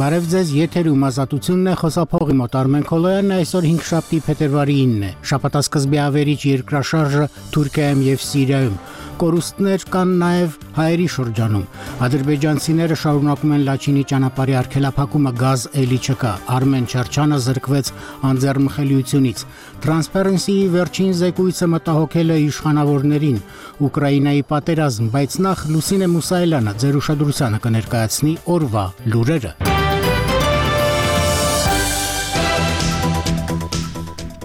Բարև ձեզ, եթերում ազատությունն է, խոսափողի մոտ Արմեն Քոլոյանն, այսօր 5 փետրվարի 9-ն է։ Շաբաթասկզբի ավերիչ երկրաշարժը Թուրքիայում եւ Սիրիայում։ Կորուստներ կան նաև հայերի շրջանում։ Ադրբեջանցիները շարունակում են Լաչինի ճանապարհի արգելափակումը, գազ էլի չկա։ Արմեն Չարչյանը զրկվեց անձեռնմխելիությունից։ Transparency-ի վերջին զեկույցը մտահոգել է իշխանավորներին։ Ուկրաինայի պատերազմ, բայց նախ Լուսինե Մուսայելյանը ձեր ուշադրությանը կներկայացնի օրվա լուրերը։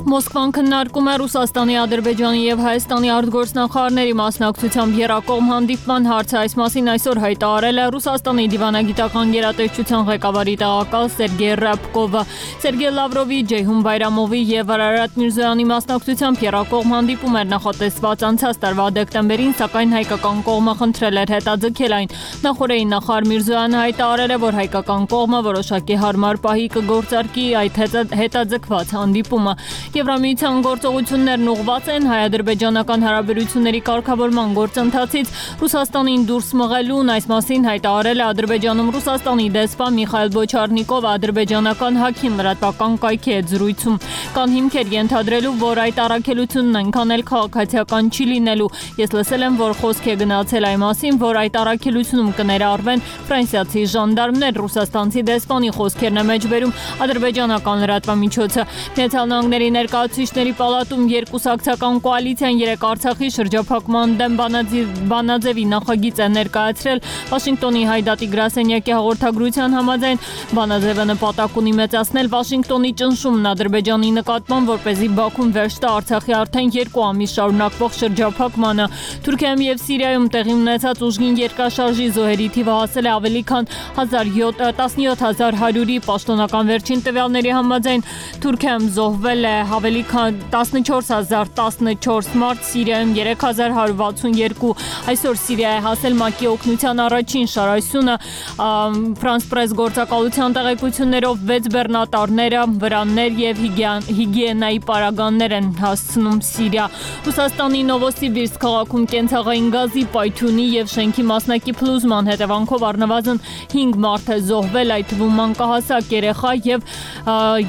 Մոսկվան քննարկում է Ռուսաստանի, Ադրբեջանի եւ Հայաստանի արտգործնախարարների մասնակցությամբ եռակողմ հանդիպման հարցը։ Այս մասին այսօր հայտարարել է Ռուսաստանի դիվանագիտական գերատեսչության ղեկավարի տեղակալ Սերգեյ Ռябկովը։ Սերգեյ Լավրովի, Ջեյհուն Բայրամովի եւ Արարատ Միրզոյանի մասնակցությամբ եռակողմ հանդիպում էր նախատեսված անցած տարվա դեկտեմբերին, սակայն հայկական կողմը խնդրել էր հետաձգել այն։ Նախորդային նախարար Միրզոյանը հայտարարել է, որ հայկական կողմը որոշակի հարմար պահի կգործարկի այդ հետաձգված հանդիպումը։ Եվրամիության գործողություններն ուղղված են հայ-ադրբեջանական հարաբերությունների կարգավորման գործընթացից Ռուսաստանին դուրս մղելուն, այս մասին հայտարարել է Ադրբեջանում Ռուսաստանի դեսպան Միխայիլ Բոչարնիկովը ադրբեջանական Հաքին լրատվական կայքի հետ զրույցում։ Կան հիմքեր ենթադրելու, որ այդ առաքելությունն այնքան էլ քաղաքացիական չի լինելու։ Ես լսել եմ, որ խոսք է գնացել այն մասին, որ այդ առաքելությունում կներառվեն ֆրանսիացի ժանդարմներ, ռուսաստանցի դեսպանի խոսքերն է մեջբերում ադրբեջանական լրատվամիջոցը։ Միացյալ Նահանգների Ներկայացուցիչների պալատում երկուսակցական կոալիցիան երեկ Արցախի շրջափակման դեմ բանաձևի նախագիծ է ներկայացրել։ Վաշինգտոնի Հայդատի գրասենյակի հաղորդագրության համաձայն բանաձևը նպատակ ունի մեծացնել Վաշինգտոնի ճնշումն Ադրբեջանի նկատմամբ, որպեսզի Բաքուն վերջ տա Արցախի արդեն 2 ամիս շարունակվող շրջափակմանը։ Թուրքիայում եւ Սիրիայում տեղի ունեցած ուժգին երկրաշարժի զոհերի թիվը հասել է ավելի քան 17100-ի։ Պաշտոնական վերջին տվյալների համաձայն Թուրքիայում զոհվել է ավելի քան 14014 մարդ, Սիրիայում 3162։ Այսօր Սիրիայի հասել ՄԱԿ-ի օգնության առաջին շարասյունը։ Ֆրանս պրես գործակալության տեղեկություններով 6 բեռնատարները, վրաններ եւ հիգիենայի պարագաներ են հասցնում Սիրիա։ Ռուսաստանի Նովոսիբիրսկ քաղաքում կենցաղային գազի, պայթյունի եւ շենքի մասնակի փլուզման հետևանքով առնվազն 5 մարդ է զոհվել, այդ թվում մանկահասակ երեխա եւ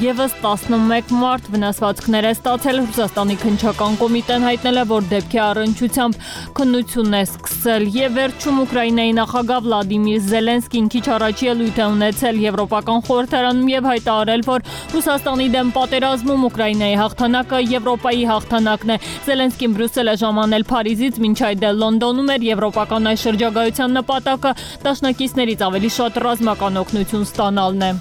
եւս 11 մարդ վնասվածքներ է ստացել։ Ռուսաստանի քննչական կոմիտեն հայտնել է, որ դեպքի առնչությամբ քննություն է սկսել։ Եվ վերջում Ուկրաինայի նախագահ Վլադիմիր Զելենսկին քիչ առաջ ելույթ է ունեցել Եվրոպական խորհրդարանում եւ հայտարարել, որ Ռուսաստանի դեմ պատերազմում Ուկրաինայի հաղթանակը Եվրոպայի հաղթանակն է։ Զելենսկին Բրյուսել է ժամանել Փարիզից, մինչ այդ Լոնդոնում էր եվրոպական այս շրջագայության նպատակը դաշնակիցներից ավելի շատ ռազմական օգնություն ստանալն է։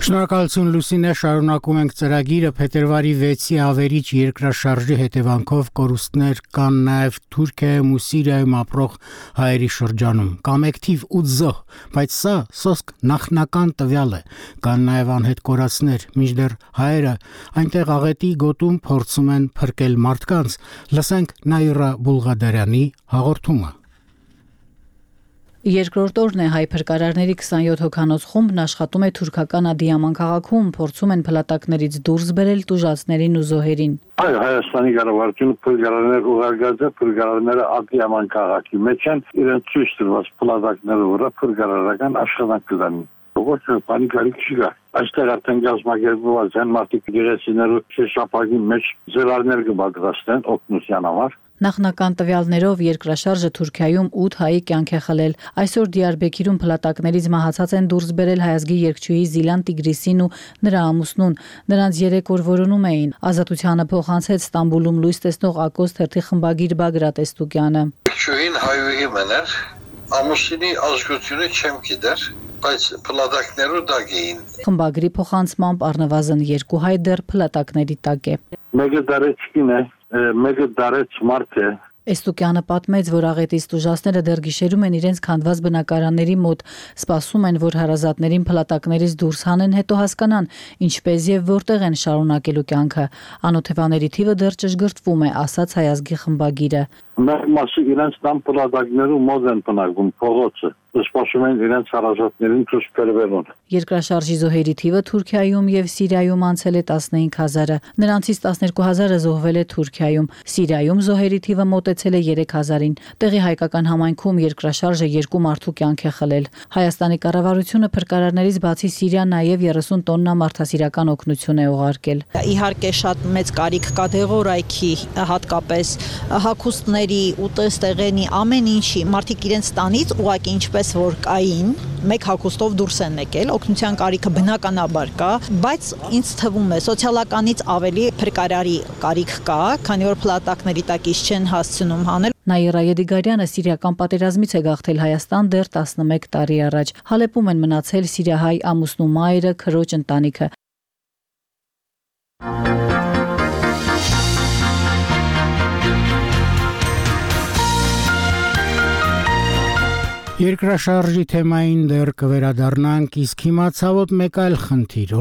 Շնորհակալություն Լուսինե, շարունակում ենք ծրագիրը։ Փետրվարի 6-ի ավերիչ երկրաշարժի հետևանքով կորուստներ կան նաև Թուրքիայում ու Սիրիայում ապրող հայերի շրջանում։ Կամ թիվ 8 զոհ, բայց սա սոսկ նախնական տվյալ է։ Կան նաև անհետ կորածներ, մինչդեռ հայերը այնտեղ աղետի գոտում փորձում են փրկել մարդկանց։ Լսենք Նաիրա Բուլղադարյանի հաղորդումը։ Երկրորդ օրն է հայ փրկարարների 27 հոգանոց խումբն աշխատում է թուրքական Ադիաման քաղաքում, փորձում են փլատակներից դուրս բերել տուժածներին ու զոհերին։ Այո, Հայաստանի կառավարությունը փրկարարներ ուղարկած է, փրկարարները Ադիաման քաղաքի մեջ են, իրենց ցույց տված փլատակների վրա փրկարարական աշխատանք կդան։ Ոչ պանիկարի չի։ Այստեղ արդեն գազམ་ակերպված են մարդիկ գերեսիներու շապագի մեջ զրահներ կպատրաստեն օգնության համար։ Նախնական տվյալներով երկրաշարժը Թուրքիայում 8 հայի կյանք է խլել։ Այսօր Դիարբեքիրում փլատակներից մահացած են դուրս բերել հայազգի երգչուհի Զիլան Տիգրիսին ու նրա ամուսնուն։ Նրանց 3 օր որոնում էին։ Ազատությանը փոխանցեց Ստամբուլում լույս տեսնող Ակոս թերթի խմբագիր Բագրատ Էստուկյանը։ Երգչուհին հայուհի մներ, ամուսինի ազգությունը չեմ գիտեր, բայց փլատակներու տակ էին։ Խմբագրի փոխանցմամբ առնվազն 2 հայ դեռ փլատակների տակ է։ Մեկը դարեցին է, մեկը դարեց մարդ է։ Էստուկյանը պատմեց, որ աղետից տուժածները դեռ գիշերում են իրենց քանդված բնակարանների մոտ, սպասում են, որ հարազատներին փլատակներից դուրս հանեն, հետո հասկանան, ինչպես եւ որտեղ են շարունակելու կյանքը։ Անօթևաների թիվը դեռ ճշգրտվում է, ասաց հայազգի խմբագիրը։ Մեր մասը իրենց տան պլատակներու մոտ են բնակվում փողոցը։ Սպասում են իրենց հարազատներին ցույց բերվելուն։ Երկրաշարժի զոհերի թիվը Թուրքիայում եւ Սիրիայում անցել է 15000-ը, նրանցից 12000-ը զոհվել է Թուրքիայում, Սիրիայում զոհերի թիվը մոտեցել է 3000-ին։ Տեղի հայկական համայնքում երկրաշարժը 2 մարդու կյանք է խլել։ Հայաստանի կառավարությունը փրկարարներից բացի Սիրիա նաեւ 30 տոննա մարդասիրական օգնություն է ուղարկել։ Իհարկե շատ մեծ կարիք կա դեղորայքի, հատկապես հագուստների, ուտեստեղենի, ամեն ինչի, մարդիկ իրենց տանից ուղղակի ինչպես որ կային, մեկ հագուստով դուրս են եկել, օգնության կարիքը բնականաբար կա, բայց ինձ թվում է սոցիալականից ավելի փրկարարի կարիք կա, քանի որ փլատակների տակից չեն հասցնում հանել։ Նաիրա Եդիգարյանը սիրիական պատերազմից է գաղթել Հայաստան դեռ 11 տարի առաջ։ Հալեպում են մնացել սիրիահայ ամուսնու մայրը, քրոջ ընտանիքը։ Երկրաշարժի թեմային դեռ կվերադառնանք, իսկ հիմա ցավոտ մեկ այլ խնդիր,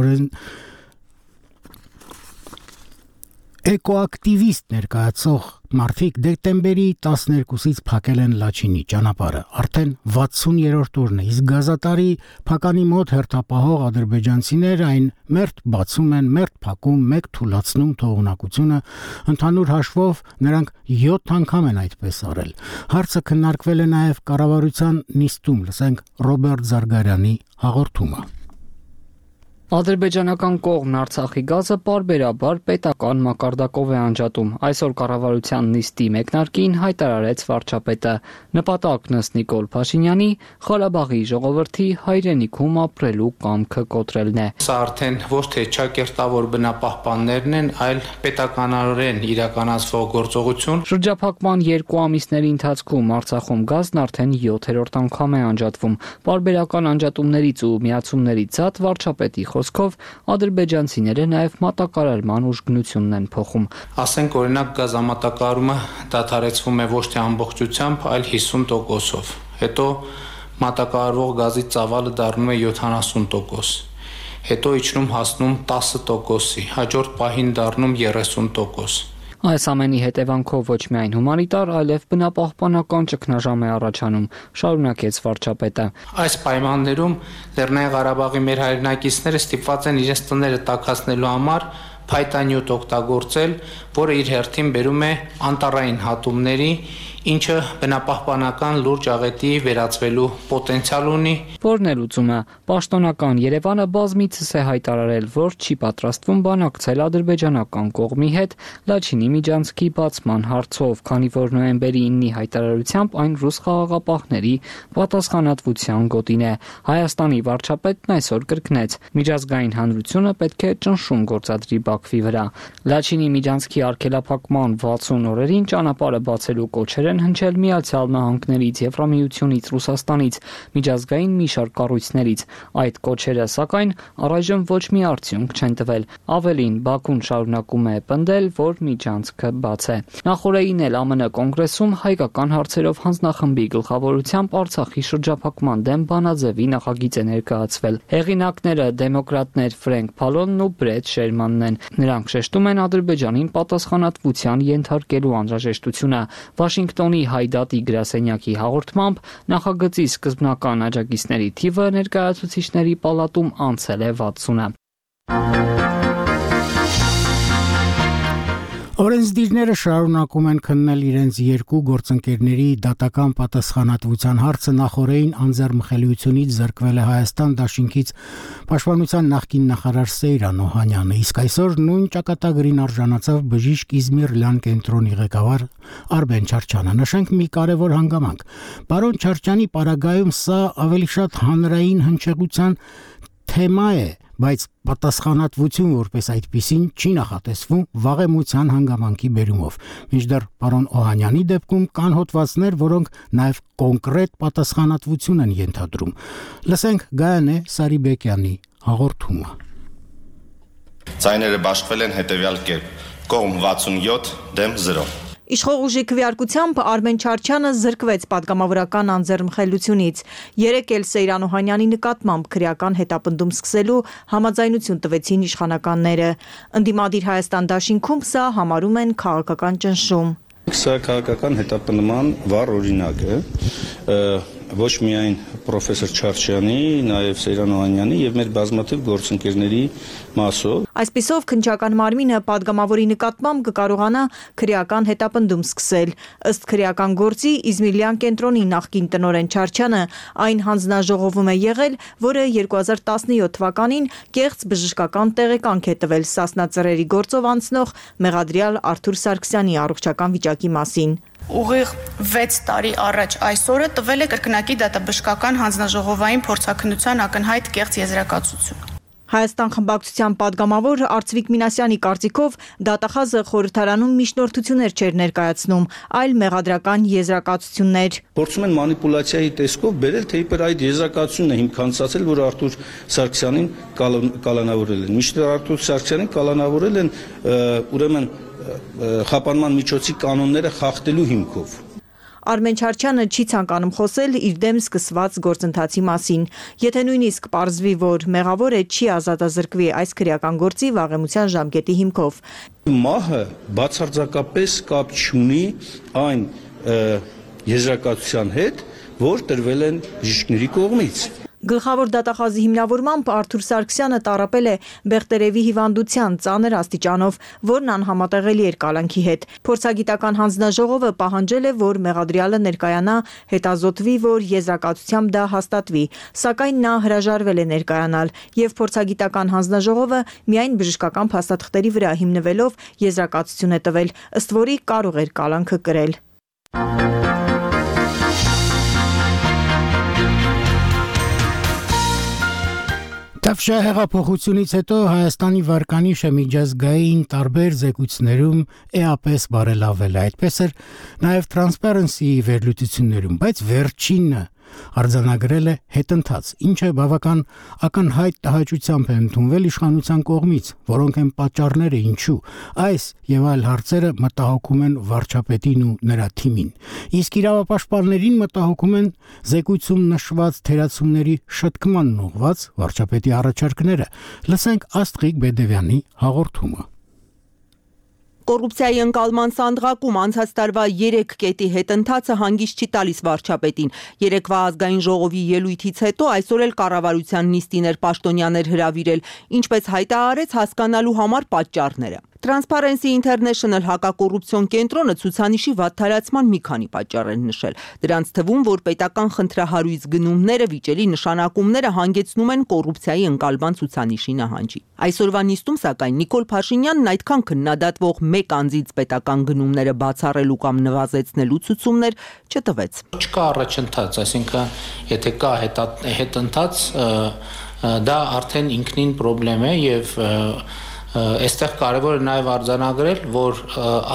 Էկոակտիվիստ ներկայացող մարդիկ դեկտեմբերի 12-ից փակել են Լաչինի ճանապարհը, արդեն 60-րդ օրն է, իսկ գազատարի փականի մոտ հերթապահող ադրբեջանցիներ այն մերթ բացում են, մերթ փակում, մեկ թուլացնում թողունակությունը, ընդհանուր հաշվով նրանք 7 անգամ են այդպես արել։ Հարցը քննարկվել է նաև կառավարության նիստում, լսենք Ռոբերտ Զարգարյանի հաղորդումը։ Ադրբեջանական կողմն Արցախի գազը պարբերաբար պետական մակարդակով է անջատում։ Այսօր կառավարության նիստի մեկնարկին հայտարարեց վարչապետը։ Նպատակն ըստ Նիկոլ Փաշինյանի Ղարաբաղի ժողովրդի հայրենիքում ապրելու կամքը կոտրելն է։ Սա արդեն ոչ թե ճակերտավոր բնապահպաններն են, այլ պետականորեն իրականացվող գործողություն։ Շրջափակման 2 ամիսների ընթացքում Արցախում գազն արդեն 7-րդ անգամ է անջատվում։ Պարբերական անջատումներից ու միացումներից զատ վարչապետի խոսքով ադրբեջանցիները նաև մատակարարման ուժգնությունն են փոխում։ Ասենք օրինակ գազամատակարարումը դադարեցվում է ոչ թե ամբողջությամբ, այլ 50%-ով։ Հետո մատակարարվող գազի ծավալը դառնում է 70%։ Հետո իջնում հասնում 10%-ի, հաջորդ պահին դառնում 30%։ Այս ամենի հետևանքով ոչ միայն հումանիտար, այլև բնապահպանական ճգնաժամ է առաջանում, շարունակեց վարչապետը։ Այս պայմաններում Լեռնային Ղարաբաղի մեր հայրենակիցները ստիպված են իրենց տները տաքացնելու համար փայտանյութ օգտագործել, որը իր հերթին բերում է անտառային հատումների, ինչը բնապահպանական լուրջ աղետի վերածվելու պոտենցիալ ունի։ Որն է լուծումը։ Պաշտոնական Երևանը բազմիցս է հայտարարել, որ չի պատրաստվում բանակցել ադրբեջանական կողմի հետ Լաչինի միջանցքի բացման հարցով, քանի որ նոյեմբերի 9-ի հայտարարությամբ այն ռուս խաղաղապահների պատասխանատվության գոտին է։ Հայաստանի վարչապետն այսօր կրկնեց. միջազգային հանրությունը պետք է ճնշում գործադրի Բաքվի վրա։ Լաչինի միջանցքի արգելափակման 60 օրերին ճանապարհը բացելու կոչեր են հնչել Միացյալ Նահանգներից, Եվրամիությունից, Ռուսաստանից, միջազգային մի շարք կառույցներից։ Այդ կոչերը, սակայն, առայժմ ոչ մի արդյունք չեն տվել։ Ավելին, Բաքուն շարունակում է պնդել, որ միջանցքը բաց է։ Նախորդին էլ ԱՄՆ կոնգրեսում հայկական հարցերով հանձնախմբի գլխավորությամբ Արցախի շրջափակման դեմ բանաձևի նախագիծ է ներկայացվել։ Հեղինակները դեմոկրատներ Ֆրենկ Փալոնն ու Բրեդ Շերմանն են։ Նրանք շեշտում են Ադրբեջանին պատասխանատվության ենթարկելու անհրաժեշտությունը։ Վաշինգտոնի Հայդատի գրասենյակի հաղորդմամբ նախագծի սկզբնական աջակիցների թիվը ներկայացուցիչների պալատում անցել է 60-ը։ Օրենսդիրները շարունակում են քննել իրենց երկու գործընկերների դատական պատասխանատվության հարցը նախորդին անձեռնմխելիությունից զրկվել է Հայաստան Դաշինքից Պաշտպանության նախկին նախարար Սեյրան Օհանյանը, իսկ այսօր նույն ճակատագրին արժանացավ բժիշկ Իզմիր Լյան կենտրոնի ղեկավար Արբեն Չարչյանը։ Նշենք մի կարևոր հանգամանք։ Պարոն Չարչյանի պարագայում սա ավելի շատ հանրային հնչեղության թեմա է, բայց պատասխանատվություն որպես այդպիսին չի նախատեսվում վաղեմության հանգամանքի բերումով։ Մինչդեռ պարոն Օհանյանի դեպքում կան հոդվածներ, որոնք նաև կոնկրետ պատասխանատվություն են ենթադրում։ Լսենք Գայանե Սարիբեկյանի հաղորդումը։ Ձայները բաշխվել են հետևյալ կերպ. կողմ 67 դեմ 0։ Իշխող ուժի քվեարկությամբ Արմեն Չարչյանը զրկվեց պատգամավորական անձեռնմխելիությունից։ Երեկ էլ Սեյրան Օհանյանի նկատմամբ քրեական հետապնդում սկսելու համաձայնություն տվեցին իշխանականները։ Ընդդիմադիր Հայաստան Դաշինքում սա համարում են քաղաքական ճնշում։ Սա քաղաքական հետապնդման վառ օրինակ է, ոչ միայն պրոֆեսոր Չարչյանի, նաև Սեյրան Օհանյանի եւ մեր բազմաթիվ գործընկերների մասով։ Այսպիսով քննչական մարմինը падգամավորի նկատմամբ կկարողանա քրեական հետապնդում սկսել։ Ըստ քրեական գործի Իզմիլյան կենտրոնի նախկին տնօրեն Չարչյանը այն հանձնաժողովում է եղել, որը 2017 թվականին կեղծ բժշկական տեղեկանք է տվել Սասնա ծռերի գործով անցնող մեղադրյալ Արթուր Սարգսյանի առողջական վիճակի մասին։ Ուղիղ 6 տարի առաջ այսօրը տվել է կրկնակի դատաբժշկական հանձնաժողովային փորձաքննության ակնհայտ կեղծ եզրակացություն։ Հայաստան խմբակցության падգամավոր Արծվիկ Մինասյանի կարծիքով դատախազը խորհրդարանում միջնորդություններ չէր ներկայացնում, այլ մեղադրական եզրակացություններ։ Փորձում են մանիպուլյացիայի տեսքով բերել, թե իբր այդ եզրակացությունն է հիմքանցածել, որ Արթուր Սարգսյանին կալանավորել են։ Մինչդեռ Արթուր Սարգսյանին կալանավորել են ուրեմն խափանման միջոցի կանոնները խախտելու հիմքով։ Արմեն Չարչյանը չի ցանկանում խոսել իր դեմ սկսված գործընթացի մասին։ Եթե նույնիսկ պարզվի, որ մեղավոր է, չի ազատազրկվի այս քրեական գործի վաղեմության ժամկետի հիմքով։ Մահը բացարձակապես կապ չունի այն եզրակացության հետ, որ տրվել են բժիշկների կողմից։ Գլխավոր դատախազի հիմնավորմամբ Արթուր Սարգսյանը տառապել է Բեղտերևի հիվանդության ծանր աստիճանով, որն անհամատեղելի էր կալանքի հետ։ Փորձագիտական հանձնաժողովը պահանջել է, որ մեղադրյալը ներկայանա, հետազոտվի, որ եզրակացությամբ դա հաստատվի, սակայն նա հրաժարվել է ներկայանալ, եւ փորձագիտական հանձնաժողովը միայն բժշկական փաստաթղթերի վրա հիմնվելով եզրակացություն է տվել, ըստ որի կարող էր կալանքը կրել։ Տավշա հեղափոխությունից հետո Հայաստանի վարկանիշը միջազգային տարբեր զեկույցներում էապես բարելավել է, այդպես էր նաև Transparency-ի վերլուծություններում, բայց վերջինը արձանագրել է հետընթաց, ինչը բավական ակնհայտ տհաճությամբ է ընդունվել իշխանության կողմից, որոնք են պատճառները ինչու այս եւ այլ հարցերը մտահոգում են վարչապետին ու նրա թիմին։ Իսկ իրավապաշտպաններին մտահոգում են զեկույցում նշված թերացումների շտկմանն ուղղված վարչապետի առաջարկները։ Լսենք Աստղիկ Բեդևյանի հաղորդումը։ Կոռուպցիայի ընկալման սանդղակում անցած տարվա 3 կետի հետընթացը հանգիստ չի տալիս վարչապետին։ Երեկվա ազգային ժողովի ելույթից հետո այսօր էլ կառավարության նիստին էր Պաշտոնյաներ հրավիրել, ինչպես հայտարարեց հասկանալու համար պատճառները։ Transparency International հակակոռուպցիոն կենտրոնը ցուցանիշի վատթարացման մի քանի պատճառ են նշել։ Դրանց թվում, որ պետական խնդրահարույց գնումները, վիճելի նշանակումները հանգեցնում են կոռուպցիայի ընկալման ցուցանիշի նահանջի։ Այսօրվա նիստում, սակայն, Նիկոլ Փաշինյանն այդքան քննադատվող մեկ անձից պետական գնումները բացառելու կամ նվազեցնելու ցուցումներ չտվեց։ Չկա առաջընթաց, այսինքն, եթե կա հետընթաց, դա արդեն ինքնին խնդրեմ է եւ այստեղ կարևոր է նաև արձանագրել, որ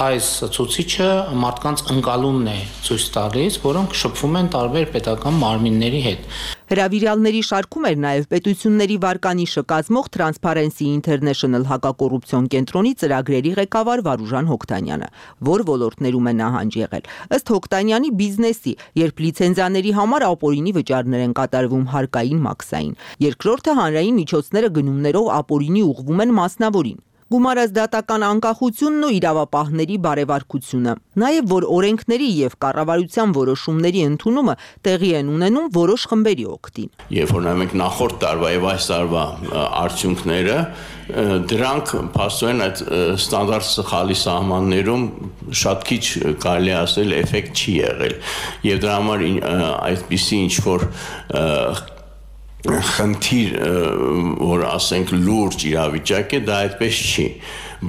այս ցուցիչը մարդկանց ընկալումն է ցույց տալիս, որոնք շփվում են տարբեր պետական մարմինների հետ։ Հրավիրյալների շարքում էր նաև պետությունների վարկանիշը կազմող Transparency International հակակոռուպցիոն կենտրոնի ծրագրերի ղեկավար Վարուժան Հոկտանյանը, որ ոլորտներում է նահանջ եղել։ Ըստ Հոկտանյանի բիզնեսի, երբ լիցենզիաների համար ապօրինի վճարներ են կատարվում հարկային մաքսային։ Երկրորդը հանրային միջոցները գնումներով ապօրինի ուղղվում են մասնավորին։ Գումարած դատական անկախությունն ու իրավապահների բարևարկությունը, նաև որ օրենքների եւ կառավարության որոշումների ընդունումը տեղի են ունենում որոշ խմբերի օգտին։ Երբ որ նայում ենք նախորդ տարվա եւ այս տարվա արդյունքները, դրանք փաստորեն այդ ստանդարտ սխալի սահմաններում շատ քիչ կարելի ասել էֆեկտ չի եղել եւ դրա համար այդպիսի ինչ որ խնդիր, որ ասենք լուրջ իրավիճակ է, դա այդպես չի,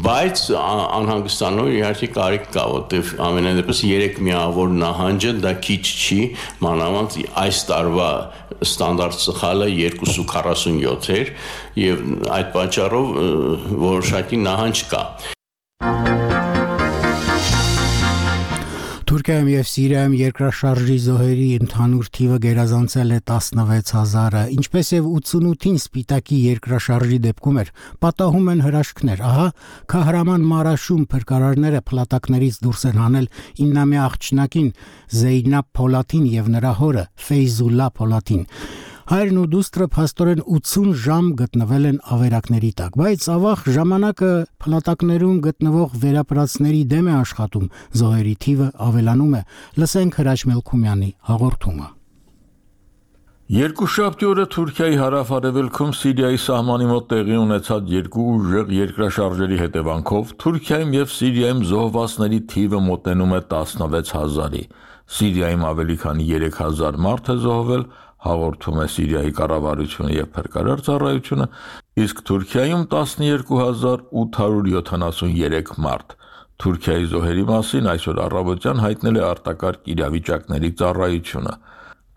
բայց անհանգստանալու իհարկե կարիք կա, որտեղ ամենայն դեպս 3 միավոր նահանջը դա քիչ չի, մանավանդ այս տարվա ստանդարտ սխալը 247 էր եւ այդ պատճառով որոշակի նահանջ կա։ Թուրքիայում եւ Սիրիայում երկրաշարժի զոհերի ընդհանուր թիվը գերազանցել է 16000-ը, ինչպես եւ 88-ին Սպիտակի երկրաշարժի դեպքում էր, պատահում են հրաշքներ։ Ահա Քահրաման Մարաշում փրկարարները փլատակներից դուրս են հանել 9-ամյա աղջնակին Զեյնաբ Փոլաթին եւ նրա հորը Ֆեյզուլլա Փոլաթին։ Հայրն ու դուստրը փաստորեն 80 ժամ գտնվել են ավերակների տակ, բայց ավաղ ժամանակը փլատակներում գտնվող վերապրածների դեմ է աշխատում, զոհերի թիվը ավելանում է։ Լսենք Հրաչ Մելքումյանի հաղորդումը։ Երկուշաբթի օրը Թուրքիայի հարավ-արևելքում Սիրիայի սահմանի մոտ տեղի ունեցած երկու ուժեղ երկրաշարժերի հետևանքով Թուրքիայում եւ Սիրիայում զոհվածների թիվը մոտենում է 16000-ի։ Սիրիայում ավելի քան 3000 մարդ է զոհվել, հաղորդում է Սիրիայի կառավարությունը եւ փրկարար ծառայությունը, իսկ Թուրքիայում 12873 մարդ։ Թուրքիայի զոհերի մասին այսօր առավոտյան հայտնել է արտակարգ իրավիճակների ծառայությունը։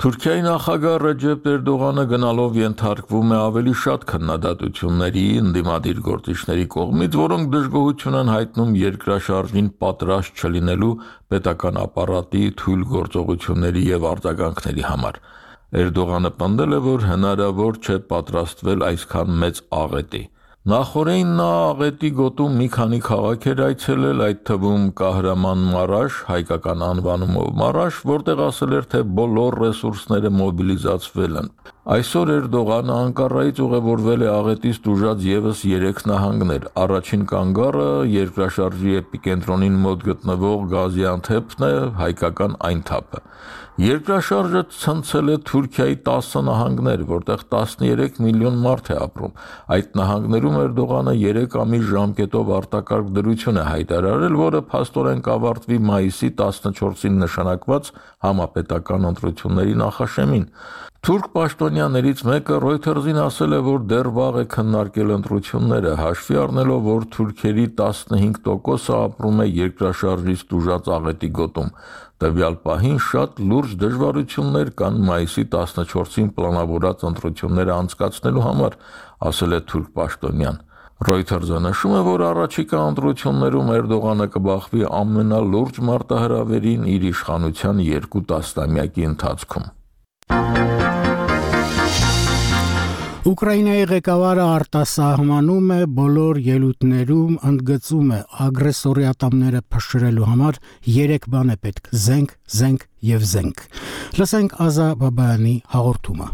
Թուրքիայի նախագահ Ռեջեփ Էրդողանը գնալով ենթարկվում է ավելի շատ քննադատությունների ընդդիմադիր գործիչների կողմից, որոնք դժգոհություն են հայտնում երկրաշարժին պատրաստ չլինելու պետական ապարատի թույլ գործողությունների եւ արձագանքների համար։ Էրդողանը պնդել է, որ հնարավոր չէ պատրաստվել այսքան մեծ աղետի։ Նախորդին նա աղետի գոտում մի քանի քաղաք էր այցելել, այդ թվում Կահրաման Մարաշ, հայկական անվանումով Մարաշ, որտեղ ասել էր, թե բոլոր ռեսուրսները մոբիլիզացվել են։ Այսօր Էրդողանը Անկարայից ուղևորվել է աղետից տուժած եւս 3 նահանգներ։ Առաջին կանգառը երկրաշարժի էպիկենտրոնին մոտ գտնվող Գազիանթեփն է, հայկական Այնթափը։ Երկրաշարժը ցնցել է Թուրքիայի 10 նահանգներ, որտեղ 13 միլիոն մարդ է ապրում։ Այդ նահանգներում Էրդողանը 3 ամիս ժամկետով արտակարգ դրություն է հայտարարել, որը փաստորեն կավարտվի մայիսի 14-ին նշանակված համապետական ընտրությունների նախաշեմին։ Թուրք պաշտոնյաներից մեկը Reuters-ին ասել է, որ դեռ վաղ է քննարկել ընտրությունները, հաշվի առնելով, որ թուրքերի 15%-ը ապրում է երկրաշարժից տուժած աղետի գոտում։ Տվյալ պահին շատ լուրջ դժվարություններ կան մայիսի 14-ին պլանավորած ընտրությունները անցկացնելու համար, ասել է թուրք պաշտոնյան։ Reuters-ը նշում է, որ առաջիկա ընտրություններում Էրդողանը կբախվի ամենալուրջ մարտահրավերին իր իշխանության 2 տասնամյակի ընթացքում։ Ուկրաինայի ղեկավարը արտասահմանում է բոլոր ելույթներում ընդգծում է ագրեսորի ատամները փշրելու համար 3 բան է պետք՝ զենք, զենք եւ զենք։ Լսենք Ազա Բաբայանի հաղորդումը։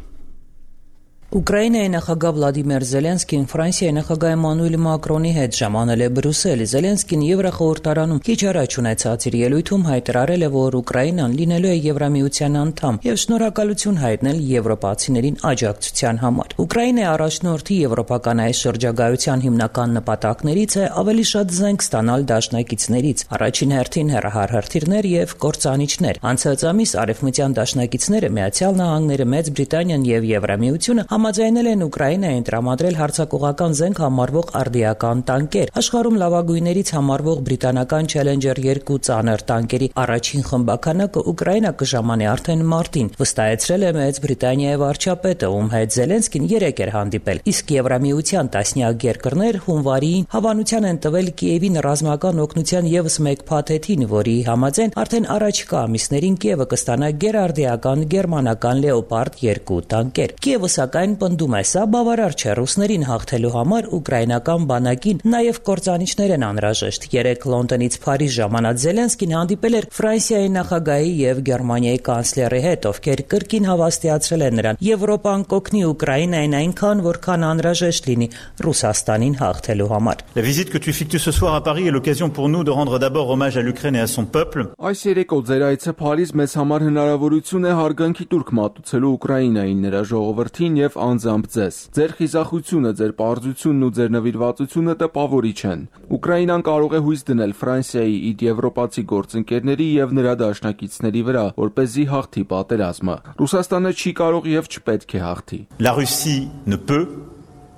Ուկրաինայի նախագահ Վլադիմիր Զելենսկին Ֆրանսիայի նախագահ Էմանուել Մակրոնի հետ ժամանել է Բրյուսել։ Զելենսկին Եվրախորհրդարանում քիչ առաջ ունեցած իր ելույթում հայտարարել է, որ Ուկրաինան լինելու է Եվրամիության անդամ եւ շնորհակալություն հայտնել եվրոպացիներին աջակցության համար։ Ուկրաինայի առաջնորդի եվրոպական այս շրջագայության հիմնական նպատակներից է ավելի շատ զենք ստանալ դաշնակիցներից, առաջին հերթին հեռահարհրթիռներ եւ կործանիչներ։ Անցած ամիս արևմտյան դաշնակիցները Միացյալ Նահանգները, Մեծ Բրիտանիան եւ Եվրամիությունը համաձայնել են Ուկրաինային տրամադրել հարձակողական զենք համարվող արդիական տանկեր։ Աշխարհում լավագույններից համարվող բրիտանական Challenger 2 ծանր տանկերի առաջին խմբականակը Ուկրաինա կժամանի արդեն մարտին, վստահեցրել է Մեծ Բրիտանիայի վարչապետը, ում հետ Զելենսկին երեկ էր հանդիպել։ Իսկ Եվրամիության տասնյակ երկրներ հունվարին հավանության են տվել Կիևին ռազմական օգնության եւս մեկ փաթեթին, որի համաձայն արդեն առաջիկա ամիսներին Կիևը կստանա գերարդիական գերմանական Leopard 2 տանկեր։ Կիևը սակայն պնդում է, սա բավարար չէ ռուսներին հաղթելու համար ուկրաինական բանակին նաև կործանիչներ են անհրաժեշտ։ Երեկ Լոնդոնից Փարիզ ժամանած Զելենսկին հանդիպել էր Ֆրանսիայի նախագահի եւ Գերմանիայի կանցլերի հետ, ովքեր կրկին հավաստիացրել են նրան. Եվրոպան կօգնի Ուկրաինային այնքան, որքան անհրաժեշտ լինի Ռուսաստանին հաղթելու համար։ La visite que tu effectues ce soir à Paris est l'occasion pour nous de rendre d'abord hommage à l'Ukraine et à son peuple. Այս երեկո ձեր այցը Փարիզ մեզ համար հնարավորություն է հարգանքի տուրք մատուցելու Ուկրաինային, նրա ժողովրդին եւ անձամբ ձեզ։ Ձեր խիզախությունը, ձեր պարզությունն ու ձեր նվիրվածությունը տպավորիչ են։ Ուկրաինան կարող է հույս դնել Ֆրանսիայի իր եվրոպացի գործընկերների եւ նրա դաշնակիցների վրա, որպեսզի հաղթի պատերազմը։ Ռուսաստանը չի կարող եւ չպետք է հաղթի։ La Russie ne peut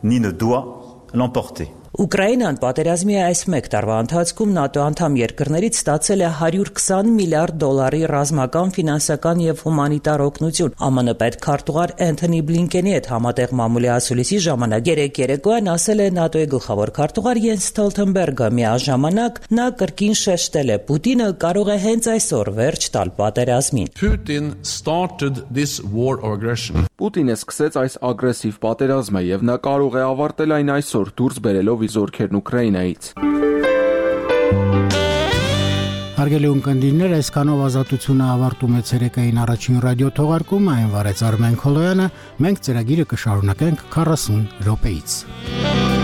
ni ne doit l'emporter. Ուկրաինան պատերազմի այս մեկ տարվա ընթացքում ՆԱՏՕ անդամ երկրներից ստացել է $120 միլիարդ ռազմական, ֆինանսական եւ հումանիտար օգնություն։ ԱՄՆ պետքարտուղար Էնթոնի Բլինկենի հետ համատեղ մամուլի ասուլիսի ժամանակ երեկ երեկոյան ասել է ՆԱՏՕ-ի գլխավոր քարտուղար Յենս Ստոլթենբերգը։ Միաժամանակ նա կրկին շեշտել է. Պուտինը կարող է հենց այսօր վերջ տալ պատերազմին։ Պուտինը սկսեց այս ագրեսիվ պատերազմը եւ նա կարող է ավարտել այն այսօր դուրս բերելով իր զորքերն Ուկրաինայից։ Հարգելի ունկնդիրներ, այսքանով ազատությունը ավարտում է ցերեկային առաջին ռադիո թողարկումը, այն վարեց Արմեն Քոլոյանը, մենք ծրագիրը կշարունակենք 40 րոպեից։